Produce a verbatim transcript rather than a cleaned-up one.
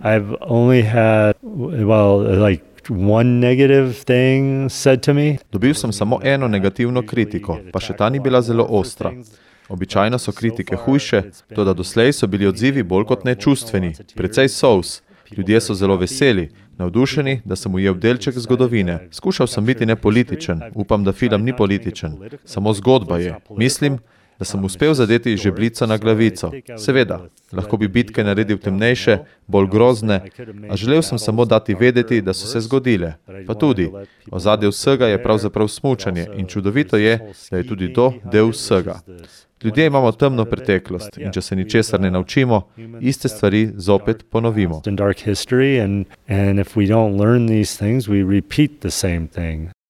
I've only had, well, like one negative thing said to me. Dobil sem samo eno negativno kritiko, pa še ta ni bila zelo ostra. Običajno so kritike hujše, toda doslej so bili odzivi bolj kot ne čustveni, precej solz. Ljudje so zelo veseli, navdušeni, da sem ujel delček zgodovine. Skušal sem biti nepolitičen, upam, da film ni političen, samo zgodba je. Mislim, da sem uspel zadeti žebljico na glavico. Seveda, lahko bi bitke naredil temnejše, bolj grozne, a želel sem samo dati vedeti, da so se zgodile. Pa tudi, ozadje vsega je pravzaprav smučanje in čudovito je, da je tudi to del vsega. Ljudje imamo temno preteklost in če se ničesar ne naučimo, iste stvari zopet ponovimo. In dark history and and if we don't learn these things, we repeat the same thing.